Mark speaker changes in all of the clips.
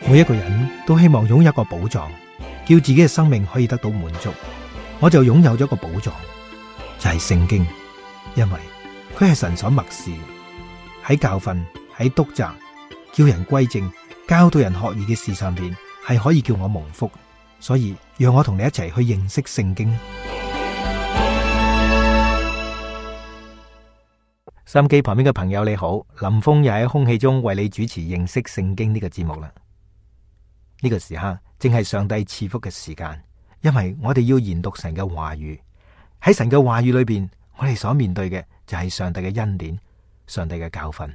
Speaker 1: 每一個人都希望擁有一個寶藏，叫自己嘅生命可以得到滿足。我就擁有咗一個寶藏，就係聖經，因為佢係神所默示，喺教訓、喺督責、叫人歸正、教導人學義嘅事上邊，係可以叫我蒙福。所以讓我同你一齊去認識聖經。收音機旁邊嘅朋友你好，林峰又喺空氣中為你主持認識聖經呢個節目啦。呢個時刻正係上帝賜福嘅時間，因為我哋要研讀神嘅話語。喺神嘅話語裏邊，我哋所面對嘅就係上帝嘅恩典、上帝嘅教訓。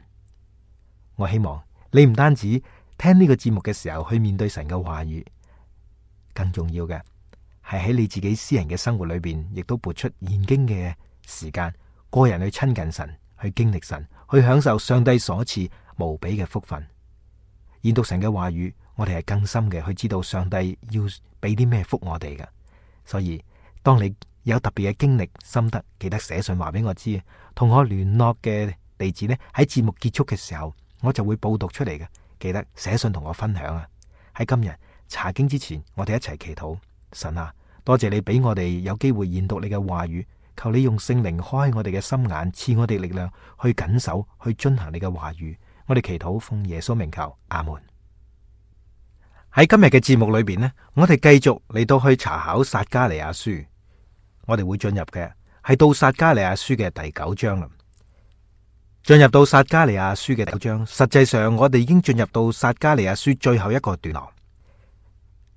Speaker 1: 我希望你唔單止聽呢個節目嘅時候去面對神嘅話語，更重要嘅係喺你自己私人嘅生活裏邊，亦都撥出研經嘅時間，個人去親近神，去經歷神，去享受上帝所賜無比嘅福分。研讀神嘅話語，我哋係更深嘅去知道上帝要俾啲咩福我哋嘅。所以當你有特別嘅經歷心得，記得寫信話俾我知，同我聯絡嘅地址呢，喺節目結束嘅時候我就會報讀出嚟嘅。記得寫信同我分享啊！喺今日查經之前，我哋一齊祈禱。神啊，多謝你俾我哋有機會研讀你嘅話語，求你用聖靈開我哋嘅心眼，賜我哋力量去謹守，去遵行你嘅話語。我哋祈禱奉耶穌名求，阿門。喺今日嘅節目裏邊呢，我哋繼續嚟到去查考撒迦利亞書，我哋會進入嘅係到撒迦利亞書嘅第9章啦。進入到撒迦利亞書嘅9章，實際上我哋已經進入到撒迦利亞書最後一個段落。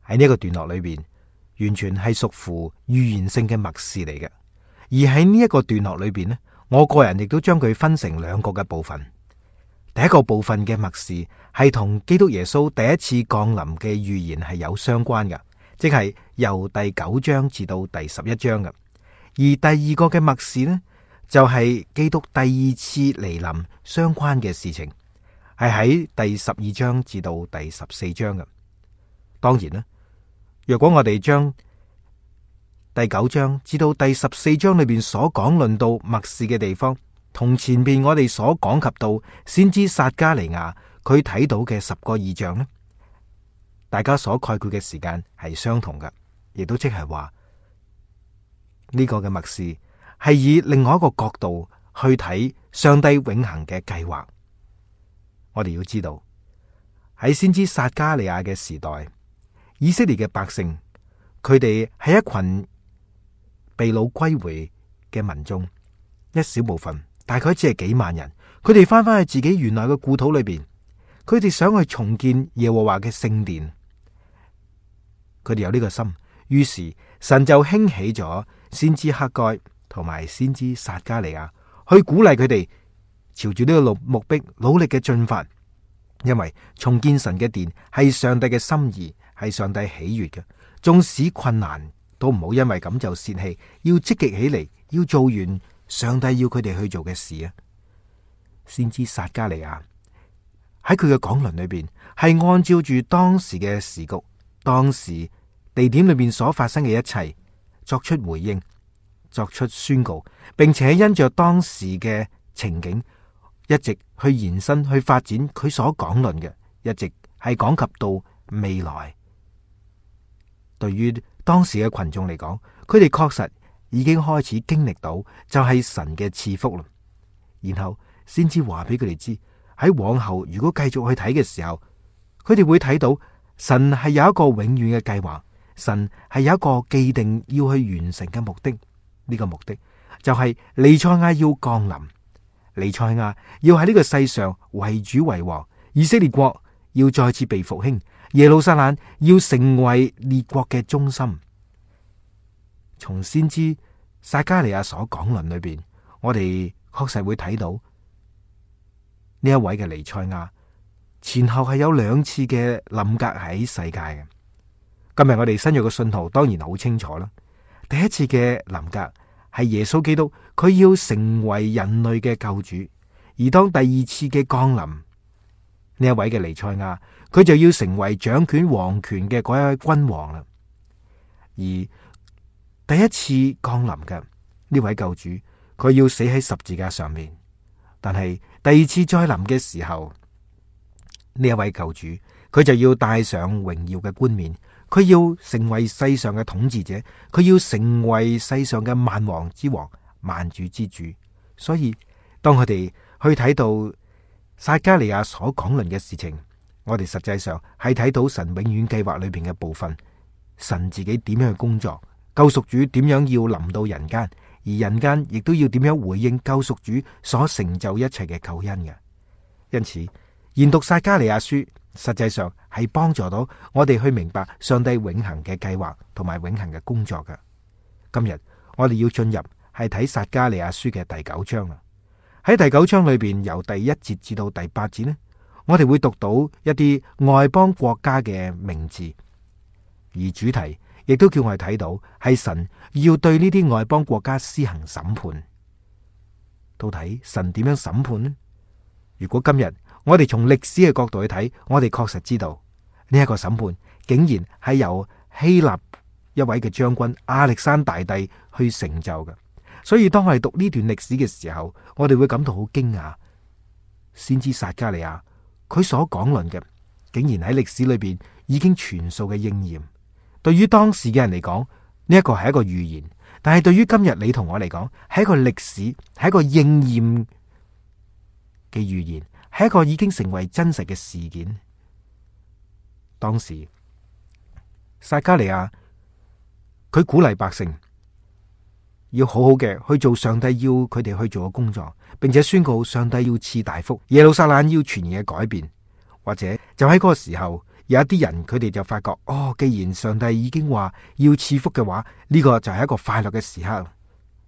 Speaker 1: 喺呢個段落裏邊，完全係屬乎預言性嘅默示嚟嘅。而喺呢一個段落裏邊呢，我個人亦都將佢分成2個嘅部分。第一個部分嘅默示係同基督耶穌第一次降臨嘅預言係有相關嘅，即係由第9章至到第11章嘅。而第2個嘅默示呢，就係基督第2次嚟臨相關嘅事情，係喺第12章至到第14章嘅。當然啦，若果我哋將第9章至到第14章裏邊所講論到默示嘅地方，同前邊我哋所講及到先知撒迦利亞佢睇到嘅10個異象呢，大家所概括嘅時間係相同嘅，亦都即係話呢個嘅默示係以另外一個角度去睇上帝永恆嘅計劃。我哋要知道喺先知撒迦利亞嘅時代，以色列嘅百姓，佢哋係一群被擄歸回嘅民眾，一小部分，大概只係幾萬人。佢哋翻返去自己原來嘅故土裏邊，佢哋想去重建耶和華嘅聖殿。佢哋有呢個心，於是神就興起咗先知哈該同埋先知撒迦利亞，去鼓勵佢哋朝住呢個目標努力嘅進發。因為重建神嘅殿係上帝嘅心意，係上帝喜悅嘅。縱使困難都唔好因為咁就泄氣，要積極起嚟，要做完上帝要佢哋去做嘅事啊！先知撒迦利亞喺佢嘅講論裏邊，係按照住當時嘅時局、當時地點裏邊所發生嘅一切作出回應，作出宣告，並且因着當時嘅情景，一直去延伸、去發展佢所講論嘅，一直係講及到未來。對於當時嘅群眾嚟講，佢哋確實已經開始經歷到就係神嘅賜福啦。然後先至話俾佢哋知，喺往後如果繼續去睇嘅時候，佢哋會睇到神係有一個永遠嘅計劃，神係有一個既定要去完成嘅目的。呢個目的就係彌賽亞要降臨，彌賽亞要喺呢個世上為主為王，以色列國要再次被復興，耶路撒冷要成為列國嘅中心。從先知撒迦利亞所講論裏邊，我哋確實會睇到呢一位嘅彌賽亞前後係有2次嘅臨格喺世界嘅。今日我哋新約嘅信徒當然好清楚啦。第一次嘅臨格係耶穌基督，佢要成為人類嘅救主；而當第2次嘅降臨，呢一位嘅彌賽亞，佢就要成為掌權王權嘅嗰一位君王啦。而第一次降臨嘅呢位救主，佢要死喺十字架上面；但係第2次再臨嘅時候，呢一位救主，佢就要戴上榮耀嘅冠冕，佢要成為世上嘅統治者，佢要成為世上嘅萬王之王、萬主之主。所以當我哋去睇到撒迦利亞所講論嘅事情，我哋實際上係睇到神永遠計劃裏邊嘅部分，神自己點樣去工作，救贖主點樣要臨到人間，而人間亦都要點樣回應救贖主所成就一切嘅救恩嘅。因此研讀撒迦利亞書實際上係幫助到我哋去明白上帝永恆嘅計劃同埋永恆嘅工作嘅。今日我哋要進入係睇撒迦利亞書嘅第9章啦。喺第9章裏邊，由第1節至到第8節呢，我哋會讀到一啲外邦國家嘅名字，而主題亦都叫我哋睇到係神要對呢啲外邦國家施行審判。到底神點樣審判呢？如果今日我哋從歷史嘅角度去睇，我哋確實知道呢一個審判竟然係由希臘一位嘅將軍亞歷山大帝去成就嘅。所以當我哋讀呢段歷史嘅時候，我哋會感到好驚訝。先知撒迦利亞佢所講論嘅，竟然喺歷史裏邊已經全數嘅應驗。對於當時嘅人嚟講，呢一個係一個預言；但係對於今日你同我嚟講，係一個歷史，係一個應驗嘅預言，係一個已經成為真實嘅事件。當時撒迦利亞佢鼓勵百姓要好好嘅去做上帝要佢哋去做嘅工作，並且宣告上帝要賜大福，耶路撒冷要全然嘅改變。或者就喺嗰個時候，有一啲人佢哋就發覺，既然上帝已經話要賜福嘅話，呢個就係一個快樂嘅時刻。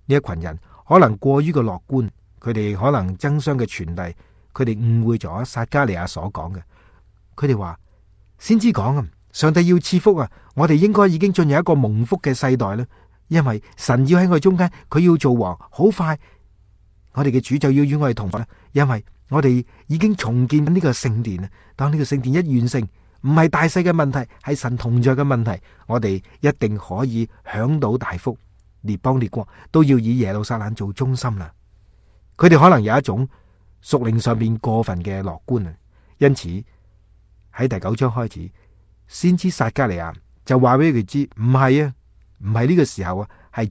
Speaker 1: 呢一群人可能過於嘅樂觀，佢哋可能爭相嘅傳遞，佢哋誤會咗撒迦利亞所講嘅。佢哋話先知講啊，上帝要賜福啊，我哋應該已經進入一個蒙福嘅世代啦。因為神要喺我哋中間，佢要做王，好快我哋嘅主就要與我哋同在。因為我哋已經重建呢個聖殿啊，當呢個聖殿一完成，唔係大細嘅問題，係神同在嘅問題，我哋一定可以享到大福。列邦列國都要以耶路撒冷做中心啦。佢哋可能有一種屬靈上面過分嘅樂觀啊，因此喺第9章開始，先知撒迦利亞就話俾佢知，唔係啊，唔係呢個時候啊，係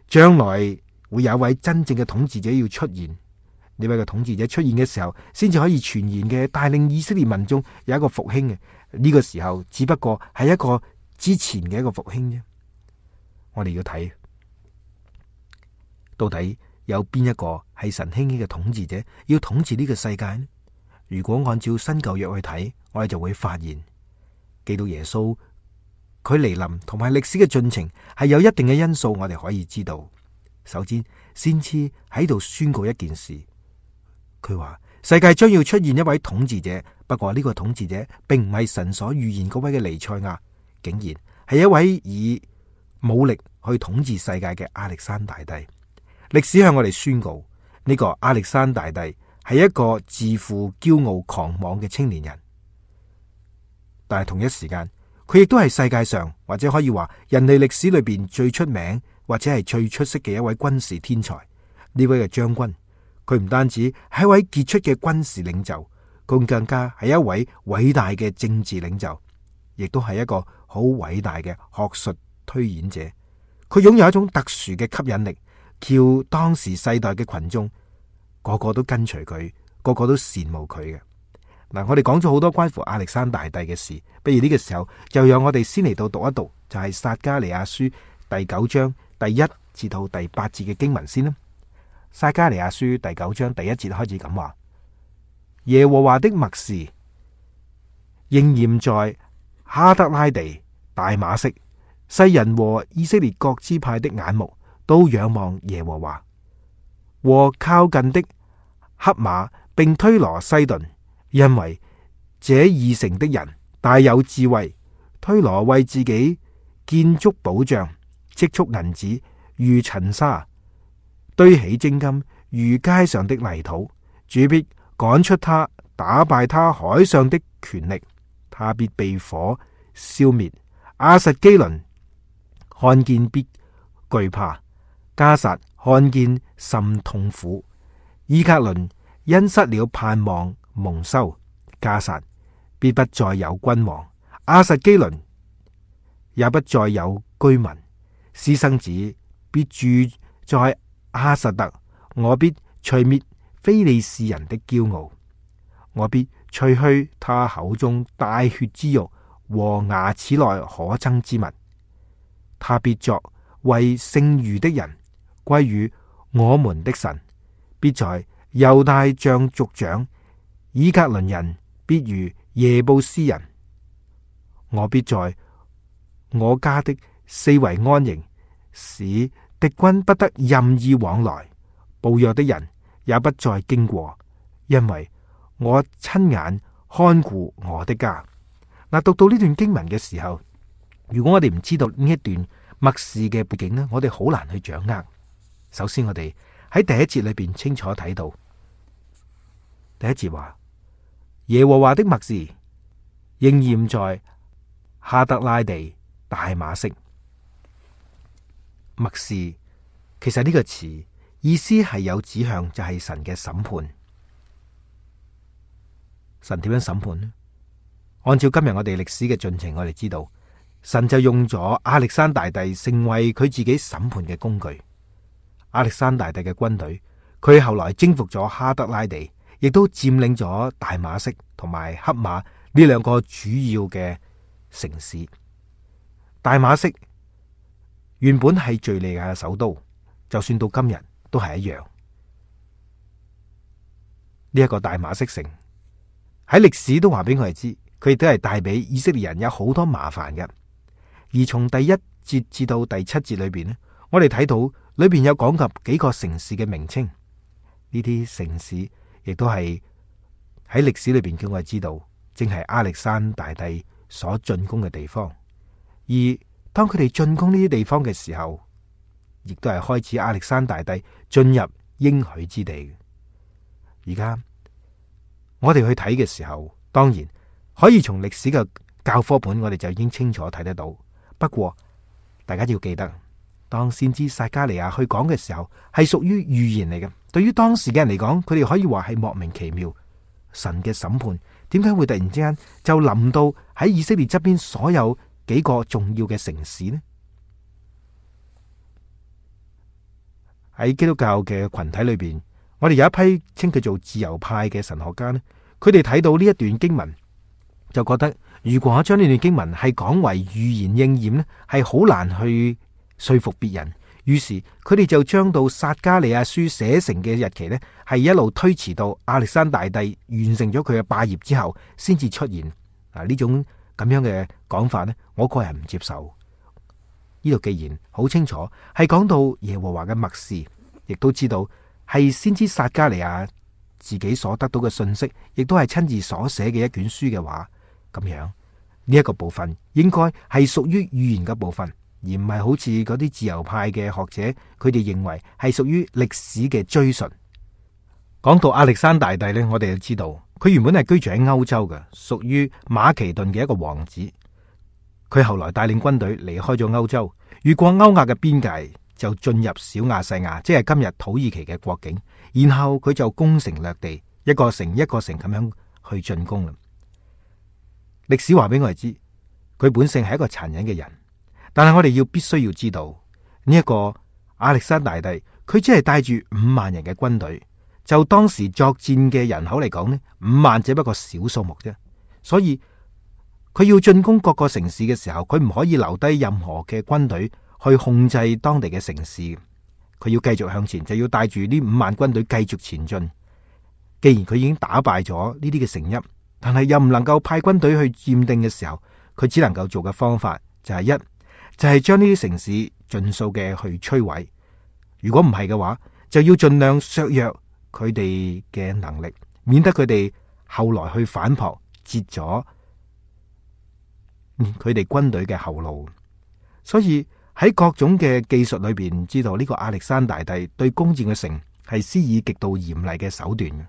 Speaker 1: 將來會有一位真正嘅統治者要出現。呢位嘅統治者出現嘅時候，先至可以全然嘅帶領以色列民眾有一個復興嘅。呢個時候只不過係一個之前嘅一個復興啫。我哋要睇到底有邊一個係神興起嘅統治者要統治呢個世界呢？如果按照新舊約去睇，我哋就會發現，基督耶穌佢嚟臨同埋歷史嘅進程係有一定嘅因素，我哋可以知道。首先，先知喺度宣告一件事，佢話世界將要出現一位統治者，不過呢個統治者並唔係神所預言嗰位嘅彌賽亞，竟然係一位以武力去統治世界嘅亞歷山大帝。歷史向我哋宣告，呢個亞歷山大帝係一個自負、驕傲、狂妄嘅青年人，但係同一時間，佢亦都係世界上或者可以話人類歷史裏邊最出名或者係最出色嘅一位軍事天才。呢位嘅將軍，佢唔單止係一位傑出嘅軍事領袖，佢更加係一位偉大嘅政治領袖，亦都係一個好偉大嘅學術推演者。佢擁有一種特殊嘅吸引力，叫當時世代嘅群眾個個都跟隨佢，個個都羨慕佢嘅。嗱，我哋講咗好多關乎亞歷山大帝嘅事，不如呢個時候就讓我哋先嚟到讀一讀，就係撒迦利亞書第9章第1至到第8節嘅經文先啦。撒迦利亞書第9章第1節開始咁話：耶和華的默示應驗在哈德拉地、大馬色，世人和以色列各支派的眼目都仰望耶和華，和靠近的黑馬並推羅西頓，因為這二城的人大有智慧。推羅為自己建築保障，積蓄銀子如塵沙，堆起精金如街上的泥土。主必趕出他，打敗他海上的權力，他必被火消滅。亞實基倫看見必懼怕，迦薩看見甚痛苦。伊革倫因失了盼望蒙羞，迦薩必不再有君王；亞實基倫也不再有居民。私生子必住在亞實特，我必除滅非利士人的驕傲，我必除去他口中帶血之肉和牙齒內可憎之物。他必作為剩餘的人，歸於我們的神，必在猶大像族長。以革倫人必如耶布斯人。我必在我家的四圍安營，使敵軍不得任意往來，暴虐的人也不再經過，因為我親眼看顧我的家。嗱，讀到呢段經文嘅時候，如果我哋唔知道呢一段默示嘅背景呢，我哋好難去掌握。首先，我哋喺第一節裏邊清楚睇到，第一節話耶和華的默示應驗在哈德拉地大馬色。默示其實呢個詞意思係有指向，就係神嘅審判。神點樣審判呢？按照今日我哋歷史嘅進程，我哋知道神就用咗亞歷山大帝成為佢自己審判嘅工具。亞歷山大帝嘅軍隊，佢後來征服咗哈德拉地，亦都佔領咗大馬色同埋黑馬呢兩個主要嘅城市。大馬色原本係敘利亞嘅首都，就算到今日都係一樣。呢一個大馬色城喺歷史都話俾我哋知，佢亦都係帶俾以色列人有好多麻煩嘅。而從第一節至到第七節裏邊呢，我哋睇到裏邊有講及幾個城市嘅名稱。呢啲城市亦都係喺歷史裏邊叫我哋知道，正係亞歷山大帝所進攻嘅地方。而當佢哋進攻呢啲地方嘅時候，亦都係開始亞歷山大帝進入應許之地。而家我哋去睇嘅時候，當然可以從歷史嘅教科本，我哋就已經清楚睇得到。不過大家要記得，當先知撒迦利亞去講嘅時候，係屬於預言嚟嘅。對於當時嘅人嚟講，佢哋可以話係莫名其妙。神嘅審判點解會突然之間就臨到喺以色列側邊所有幾個重要嘅城市呢？喺基督教嘅群體裏邊，我哋有一批稱佢做自由派嘅神學家呢，佢哋睇到呢一段經文，就覺得如果將呢段經文係講為預言應驗呢，係好難去說服別人。於是佢哋就將到撒迦利亞書寫成嘅日期呢，係一路推遲到亞歷山大帝完成咗佢嘅霸業之後，先至出現。呢種咁樣嘅講法呢，我個人唔接受。呢度既然好清楚係講到耶和華嘅默示，亦都知道係先知撒迦利亞自己所得到嘅信息，亦都係親自所寫嘅一卷書嘅話，咁樣呢一個部分應該係屬於預言嘅部分，而唔係好似嗰啲自由派嘅學者，佢哋認為係屬於歷史嘅追述。講到亞歷山大帝呢，我哋就知道佢原本係居住喺歐洲嘅，屬於馬其頓嘅一個王子。佢後來帶領軍隊離開咗歐洲，越過歐亞嘅邊界，就進入小亞細亞，即係今日土耳其嘅國境。然後佢就攻城略地，一個城一個城咁樣去進攻啦。歷史話俾我哋知，佢本性係一個殘忍嘅人，但係我哋必須要知道呢一個亞歷山大帝，佢只係帶住5萬人嘅軍隊，就當時作戰嘅人口嚟講呢，5萬只不過小數目啫。所以佢要進攻各個城市嘅時候，佢唔可以留低任何嘅軍隊去控制當地嘅城市。佢要繼續向前，就要帶住呢5萬軍隊繼續前進。既然佢已經打敗咗呢啲嘅城邑，但係又唔能夠派軍隊去佔定嘅時候，佢只能夠做嘅方法就係就係將呢啲城市盡數嘅去摧毀。如果唔係嘅話，就要盡量削弱佢哋嘅能力，免得佢哋後來去反撲，截咗佢哋軍隊嘅後路。所以喺各種嘅技術裏邊，知道呢個亞歷山大帝對攻佔嘅城係施以極度嚴厲嘅手段嘅。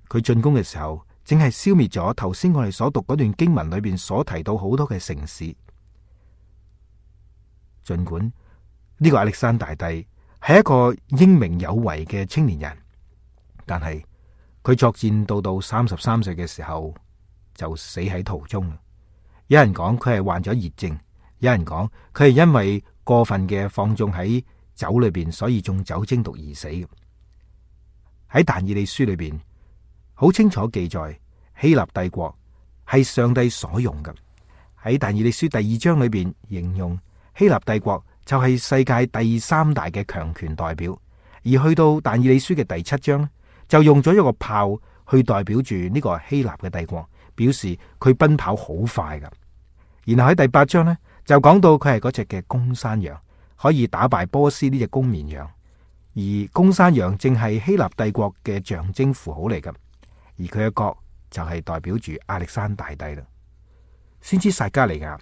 Speaker 1: 佢進攻嘅時候，正係消滅咗頭先我哋所讀嗰段經文裏邊所提到好多嘅城市。盡管呢個亞歷山大帝係一個英明有為嘅青年人，但係佢作戰到33歲嘅時候就死喺途中。有人講佢係患咗熱症，有人講佢係因為過分嘅放縱喺酒裏邊，所以中酒精毒而死嘅。喺但以理書裏邊好清楚記載，希臘帝國係上帝所用嘅。喺但以理書第2章裏邊形容希臘帝國就係世界第3大嘅強權代表，而去到但以理書嘅第7章就用咗一個炮去代表住呢個希臘嘅帝國，表示佢奔跑好快噶。然後喺第8章呢，就講到佢係嗰隻嘅公山羊，可以打敗波斯呢隻公綿羊，而公山羊正係希臘帝國嘅象徵符號嚟噶，而佢嘅角就係代表住亞歷山大帝啦。先知撒迦利亞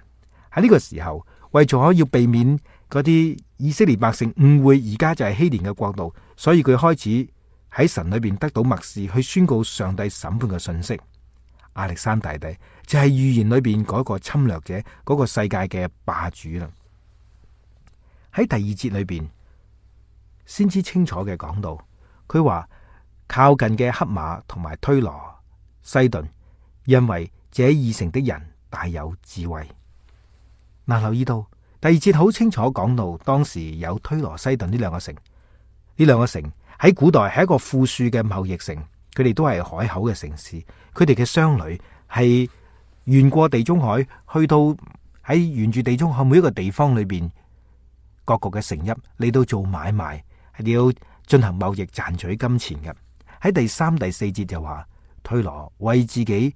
Speaker 1: 喺呢個時候，為咗要避免嗰啲以色列百姓誤會而家就係希年嘅國度，所以佢開始喺神裏邊得到默示，去宣告上帝審判嘅信息。亞歷山大帝就係預言裏邊嗰個侵略者，嗰個世界嘅霸主啦。喺第2節裏邊，先知清楚嘅講到，佢話靠近嘅黑馬同埋推羅、西頓，因為這2城的人大有智慧。嗱，留意到第2節好清楚講到，當時有推羅、西頓呢2個城，呢2個城喺古代係一個富庶嘅貿易城。佢哋都係海口嘅城市，佢哋嘅商旅係沿過地中海，去到喺沿住地中海每一個地方裏邊各個嘅城邑嚟到做買賣，係要進行貿易賺取金錢嘅。喺第3、第4節就話，推羅為自己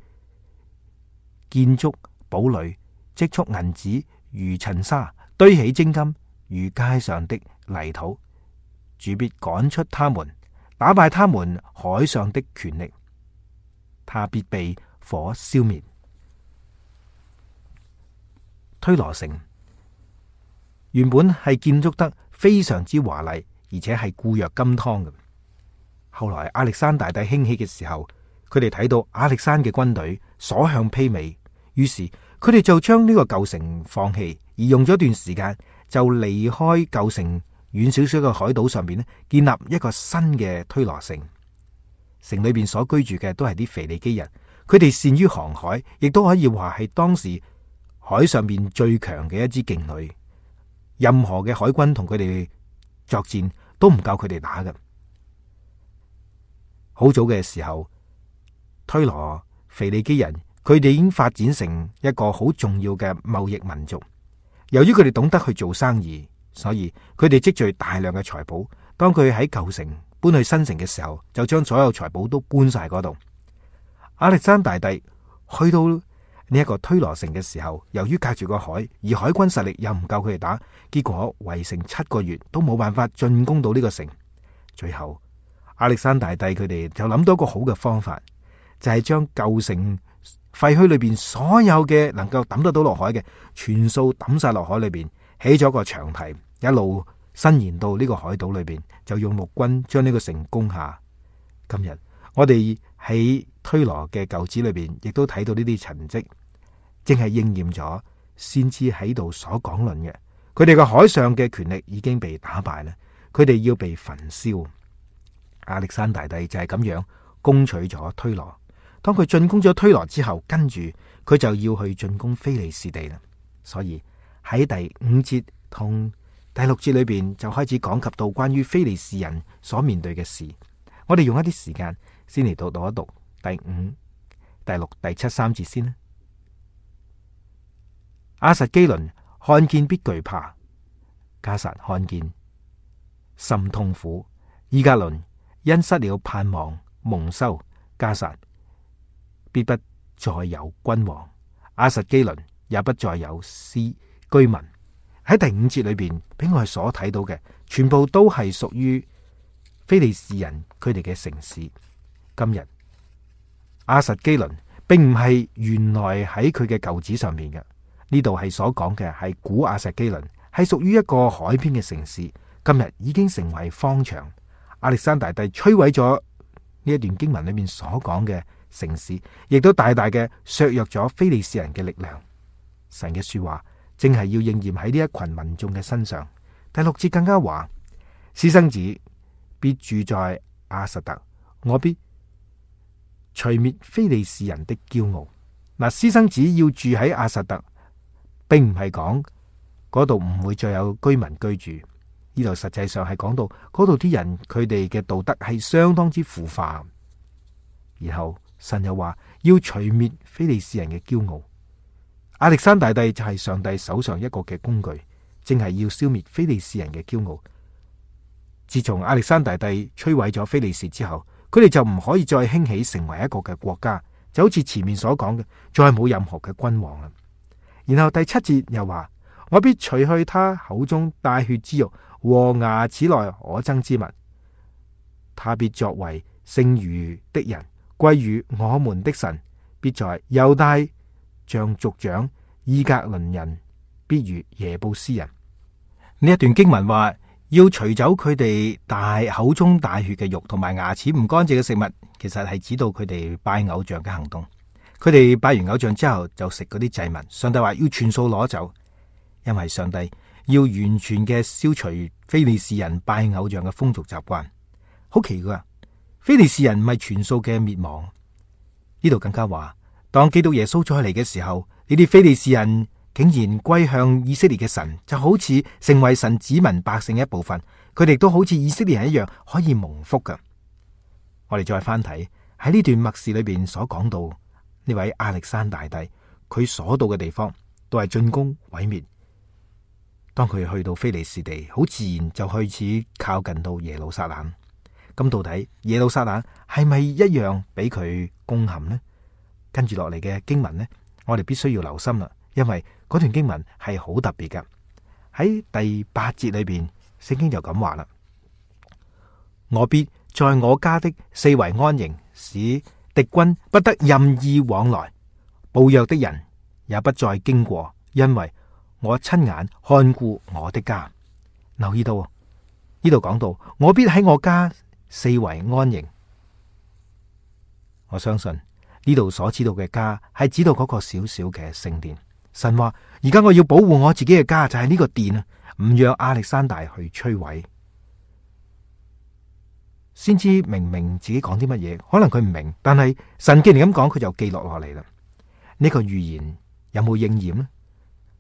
Speaker 1: 建築堡壘，積蓄銀子如塵沙，堆起精金如街上的泥土，主必趕出他們，打敗他們海上的權力，他必被火消滅。推羅城原本係建築得非常之華麗，而且係固若金湯嘅。後來亞歷山大帝興起嘅時候，佢哋睇到亞歷山嘅軍隊所向披靡，於是佢哋就將呢個舊城放棄，而用咗一段時間就離開舊城，遠少少嘅海島上邊咧，建立一個新嘅推羅城。城裏邊所居住嘅都係啲腓尼基人，佢哋善於航海，亦都可以話係當時海上邊最強嘅一支勁旅。任何嘅海軍同佢哋作戰都唔夠佢哋打嘅。好早嘅時候，推羅、腓尼基人佢哋已經發展成一個好重要嘅貿易民族。由於佢哋懂得去做生意，所以佢哋積聚大量嘅財寶。當佢喺舊城搬去新城嘅時候，就將所有財寶都搬晒嗰度。亞歷山大帝去到呢一個推羅城嘅時候，由於隔住個海，而海軍實力又唔夠佢哋打，結果圍城7個月都冇辦法進攻到呢個城。最後亞歷山大帝佢哋就諗到一個好嘅方法，就係將舊城廢墟裏邊所有嘅能夠抌得到落海嘅，全數抌晒落海裏邊，起咗個長堤，一路伸延到呢個海島裏邊，就用陸軍將呢個城攻下。今日我哋喺推羅嘅舊址裏邊，亦都睇到呢啲痕跡，正係應驗咗先知喺度所講論嘅。佢哋嘅海上嘅權力已經被打敗啦，佢哋要被焚燒。亞歷山大帝就係咁樣攻取咗推羅。當佢進攻咗推羅之後，跟住佢就要去進攻非利士地啦。所以喺第5節同第6節裏邊就開始講及到關於非利士人所面對嘅事。我哋用一啲時間先嚟讀一讀第5、第6、第7、3節先啦。亞實基倫看見必懼怕，迦薩看見甚痛苦，以革倫因失了盼望蒙羞，迦薩必不再有君王，亞實基倫也不再有居民。喺第5節裏邊，俾我哋所睇到嘅，全部都係屬於非利士人佢哋嘅城市。今日亞實基倫並唔係原來喺佢嘅舊址上面嘅，呢度係所講嘅係古亞實基倫，係屬於一個海邊嘅城市。今日已經成為荒場。亞歷山大帝摧毀咗呢一段經文裏面所講嘅城市，亦都大大嘅削弱咗非利士人嘅力量。神嘅說話正係要應驗喺呢一群民眾嘅身上。第6節更加話，私生子必住在亞實特，我必除滅非利士人的驕傲。嗱，私生子要住喺亞實突，並唔係講嗰度唔會再有居民居住。呢度實際上係講到嗰度啲人，佢哋嘅道德係相當之腐化。然後神又話要除滅非利士人嘅驕傲。亞歷山大帝就係上帝手上一個嘅工具，正係要消滅非利士人嘅驕傲。自從亞歷山大帝摧毀咗非利士之後，佢哋就唔可以再興起成為一個嘅國家，就好似前面所講嘅，再冇任何嘅君王啦。然後第7節又話，我必除去他口中帶血之肉和牙齒內可憎之物，他必作為剩餘的人歸於我們的神，必在猶大像族長，伊格倫人必如耶布斯人。呢一段經文話要除走佢哋口中帶血嘅肉同埋牙齒唔乾淨嘅食物，其實係指到佢哋拜偶像嘅行動。佢哋拜完偶像之後就食嗰啲祭物，上帝話要全數攞走，因為上帝要完全嘅消除非利士人拜偶像嘅風俗習慣。好奇怪，非利士人唔係全數嘅滅亡。呢度更加話，當基督耶穌再嚟嘅時候，呢啲非利士人竟然歸向以色列嘅神，就好似成為神子民百姓一部分，佢哋都好似以色列人一樣可以蒙福㗎。我哋再翻睇喺呢段默示裏邊所講到呢位亞歷山大帝，佢所到嘅地方都係進攻毀滅。當佢去到非利士地，好自然就開始靠近到耶路撒冷。咁到底耶路撒冷係咪一樣俾佢攻陷呢？跟住落嚟嘅經文呢，我哋必須要留心啦，因為嗰段經文係好特別㗎。喺第8節裏邊，聖經就咁話啦：我必在我家的四圍安營，使敵軍不得任意往來，暴虐的人也不再經過，因為我親眼看顧我的家。留意到呢度講到，我必喺我家四圍安營。我相信呢度所指到嘅家係指到嗰個小小嘅聖殿。神話而家我要保護我自己嘅家，就係呢個殿啊，唔讓亞歷山大去摧毀。先知明明自己講啲乜嘢，可能佢唔明，但係神既然咁講，佢就記落嚟啦。呢個預言有冇應驗呢？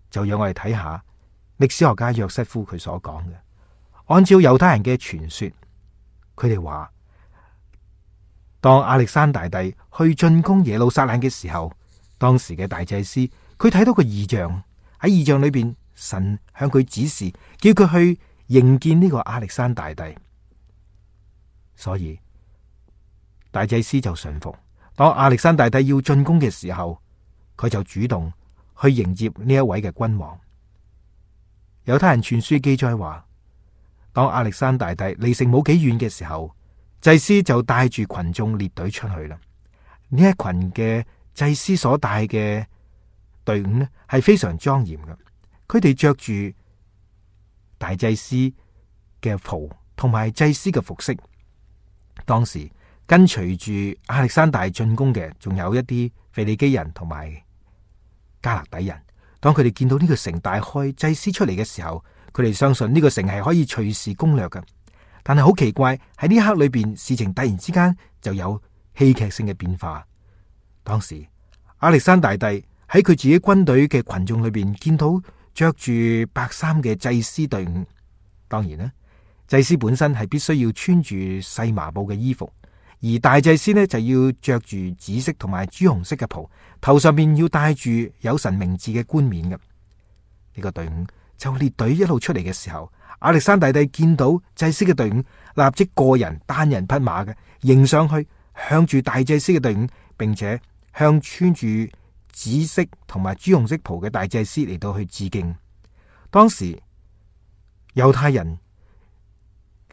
Speaker 1: 就讓我哋睇下歷史學家約瑟夫佢所講嘅。按照猶太人嘅傳說，佢哋話當亞歷山大帝去進攻耶路撒冷嘅時候，當時嘅大祭司佢睇到個異象，喺異象裏邊，神向佢指示，叫佢去迎見呢個亞歷山大帝。所以大祭司就順服。當亞歷山大帝要進攻嘅時候，佢就主動去迎接呢一位嘅君王。猶太人傳書記載話，當亞歷山大帝離城冇幾遠嘅時候，祭司就帶住群眾列隊出去啦。呢一群嘅祭司所帶嘅隊伍呢，係非常莊嚴嘅。佢哋着住大祭司嘅袍同埋祭司嘅服飾。當時跟隨住亞歷山大進攻嘅，仲有一啲腓尼基人同埋加勒底人。當佢哋見到呢個城大開，祭司出嚟嘅時候，佢哋相信呢個城係可以隨時攻略嘅。但係好奇怪，喺呢一刻裏邊，事情突然之間就有戲劇性嘅變化。當時亞歷山大帝喺佢自己軍隊嘅群眾裏邊見到着住白衫嘅祭司隊伍。當然啦，祭司本身係必須要穿住細麻布嘅衣服，而大祭司呢就要着住紫色同埋朱紅色嘅袍，頭上面要戴住有神名字嘅冠冕嘅。呢個隊伍就列隊一路出嚟嘅時候，亞歷山大帝見到祭司嘅隊伍，立即個人單人匹馬嘅迎上去，向住大祭司嘅隊伍，並且向穿住紫色同埋朱紅色袍嘅大祭司嚟到去致敬。當時猶太人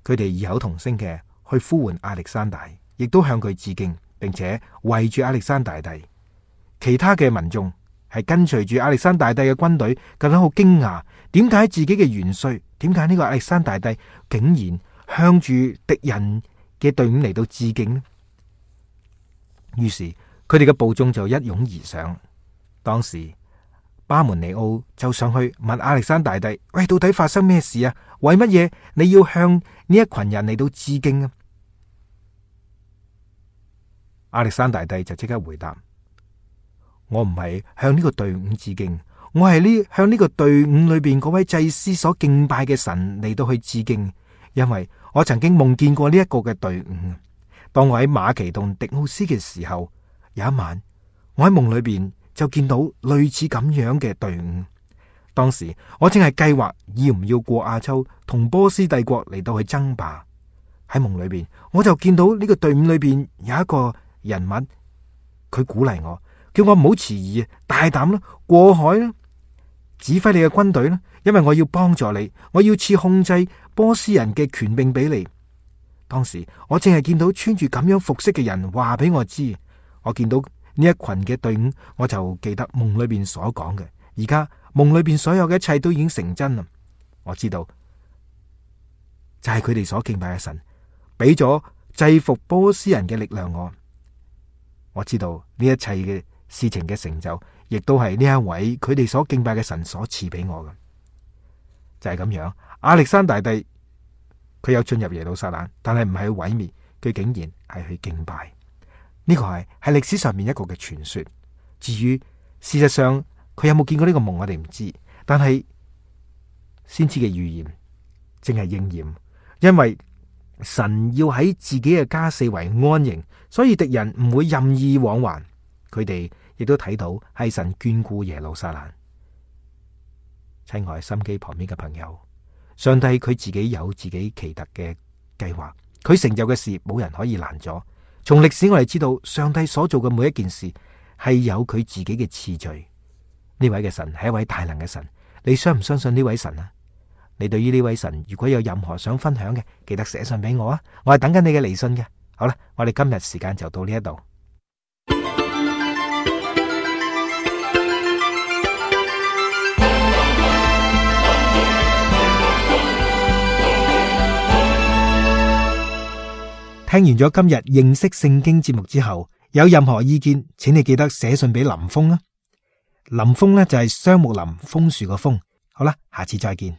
Speaker 1: 佢哋異口同聲嘅去呼喚亞歷山大，亦都向佢致敬，並且圍住亞歷山大帝。其他嘅民眾係跟隨住亞歷山大帝嘅軍隊，覺得好驚訝，點解自己嘅元帥，點解呢個亞歷山大帝竟然向住敵人嘅隊伍嚟到致敬呢？於是佢哋嘅部眾就一擁而上。當時巴門尼奧就上去問亞歷山大帝：喂，到底發生咩事啊？為乜嘢你要向呢一群人嚟到致敬啊？亞歷山大帝就即刻回答：我唔係向呢個隊伍致敬，我係向呢個隊伍裏邊嗰位祭司所敬拜嘅神嚟到去致敬，因為我曾經夢見過呢一個嘅隊伍。當我喺馬其頓迪奧斯嘅時候，有一晚我喺夢裏邊就見到類似咁樣嘅隊伍。當時我正係計劃要唔要過亞洲同波斯帝國嚟到去爭霸。喺夢裏邊我就見到呢個隊伍裏邊有一個人物，佢鼓勵我，叫我唔好遲疑，大膽啦，過海啦，指揮你嘅軍隊啦，因為我要幫助你，我要賜控制波斯人嘅權柄俾你。當時我淨係見到穿住咁樣服飾嘅人話俾我知，我見到呢一群嘅隊伍，我就記得夢裏邊所講嘅。而家夢裏邊所有嘅一切都已經成真啦，我知道就係佢哋所敬拜嘅神俾咗制服波斯人嘅力量我知道呢一切嘅事情嘅成就，亦都係呢一位佢哋所敬拜嘅神所賜俾我嘅。就係咁樣，亞歷山大帝佢有進入耶路撒冷，但係唔係去毀滅，佢竟然係去敬拜。呢個係歷史上面一個嘅傳說。至於事實上佢有冇見過呢個夢，我哋唔知。但係先知嘅預言正係應驗，因為神要喺自己嘅家四圍安營，所以敵人唔會任意往還。佢哋亦都睇到係神眷顧耶路撒冷。親愛心機旁邊嘅朋友，上帝佢自己有自己奇特嘅計劃，佢成就嘅事冇人可以攔阻。從歷史我哋知道，上帝所做嘅每一件事係有佢自己嘅次序。呢位嘅神係一位大能嘅神，你相唔相信呢位神啊？你對於呢位神如果有任何想分享嘅，記得寫信俾我啊！我係等緊你嘅嚟信嘅。好啦，我哋今日時間就到呢一度。聽完咗今日認識聖經節目之後，有任何意見，請你記得寫信俾林峰啊。林峰呢就係雙木林楓樹個楓。好啦，下次再見。